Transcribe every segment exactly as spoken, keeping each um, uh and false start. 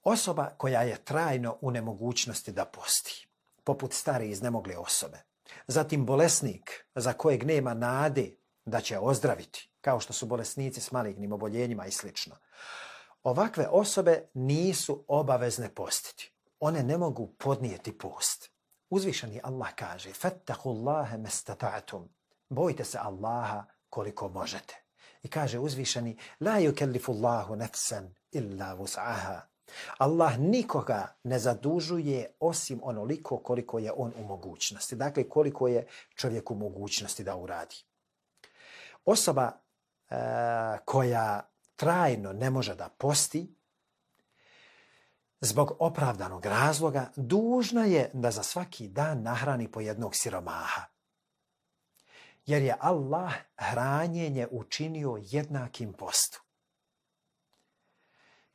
Osoba koja je trajno u nemogućnosti da posti, poput stare iznemogle osobe. Zatim bolesnik za kojeg nema nade da će ozdraviti, kao što su bolesnici s malignim oboljenjima i sl. Ovakve osobe nisu obavezne postiti. One ne mogu podnijeti post. Uzvišeni Allah kaže: "Fattaqullaha mastata'tum." Bojte se Allaha koliko možete. I kaže uzvišeni: "La yukellifullahu nafsan illa wus'aha." Allah nikoga ne zadužuje osim onoliko koliko je on u mogućnosti. Dakle, koliko je čovjek u mogućnosti da uradi. Osoba e, koja trajno ne može da posti, zbog opravdanog razloga, dužna je da za svaki dan nahrani po jednog siromaha. Jer je Allah hranjenje učinio jednakim postu.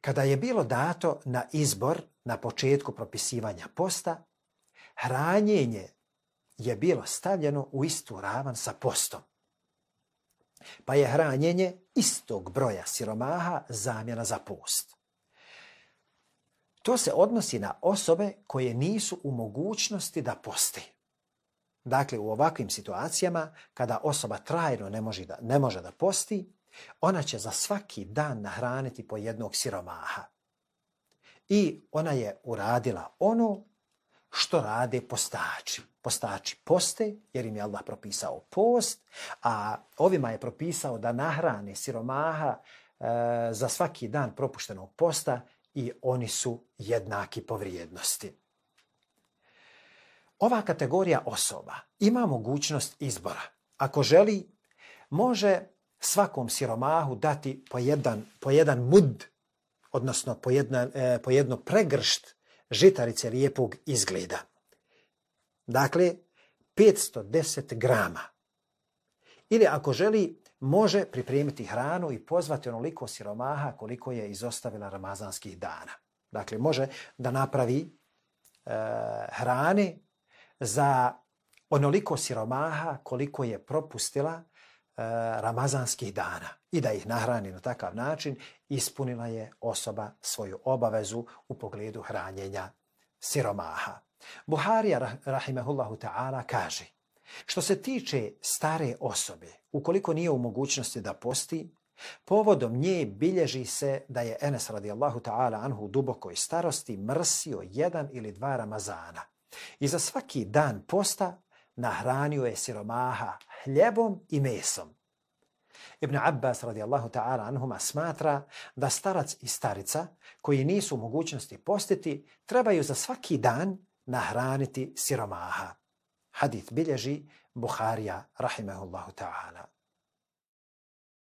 Kada je bilo dato na izbor na početku propisivanja posta, hranjenje je bilo stavljeno u istu ravan sa postom. Pa je hranjenje istog broja siromaha zamjena za post. To se odnosi na osobe koje nisu u mogućnosti da poste. Dakle, u ovakvim situacijama, kada osoba trajno ne može da, ne može da posti, ona će za svaki dan nahraniti po jednog siromaha. I ona je uradila ono što rade postači. Postači poste, jer im je Allah propisao post, a ovima je propisao da nahrane siromaha e, za svaki dan propuštenog posta i oni su jednaki po vrijednosti. Ova kategorija osoba ima mogućnost izbora. Ako želi, može svakom siromahu dati po jedan, po jedan mud, odnosno po, jedna, e, po jedno pregršt žitarice lijepog izgleda. Dakle, petsto deset grama. Ili ako želi, može pripremiti hranu i pozvati onoliko siromaha koliko je izostavila ramazanskih dana. Dakle, može da napravi e, hrane za onoliko siromaha koliko je propustila e, ramazanskih dana i da ih nahrani na takav način, ispunila je osoba svoju obavezu u pogledu hranjenja siromaha. Buharija rahimehullahu ta'ala kaže: što se tiče stare osobe, ukoliko nije u mogućnosti da posti, povodom nje bilježi se da je Enes radijallahu ta'ala anhu u dubokoj starosti mrsio jedan ili dva Ramazana. I za svaki dan posta nahranio je siromaha hljebom i mesom. Ibn Abbas radijallahu ta'ala anhuma smatra da starac i starica koji nisu u mogućnosti postiti trebaju za svaki dan nahraniti siromaha. Hadith bilježi Buharija rahimehullahu ta'ala.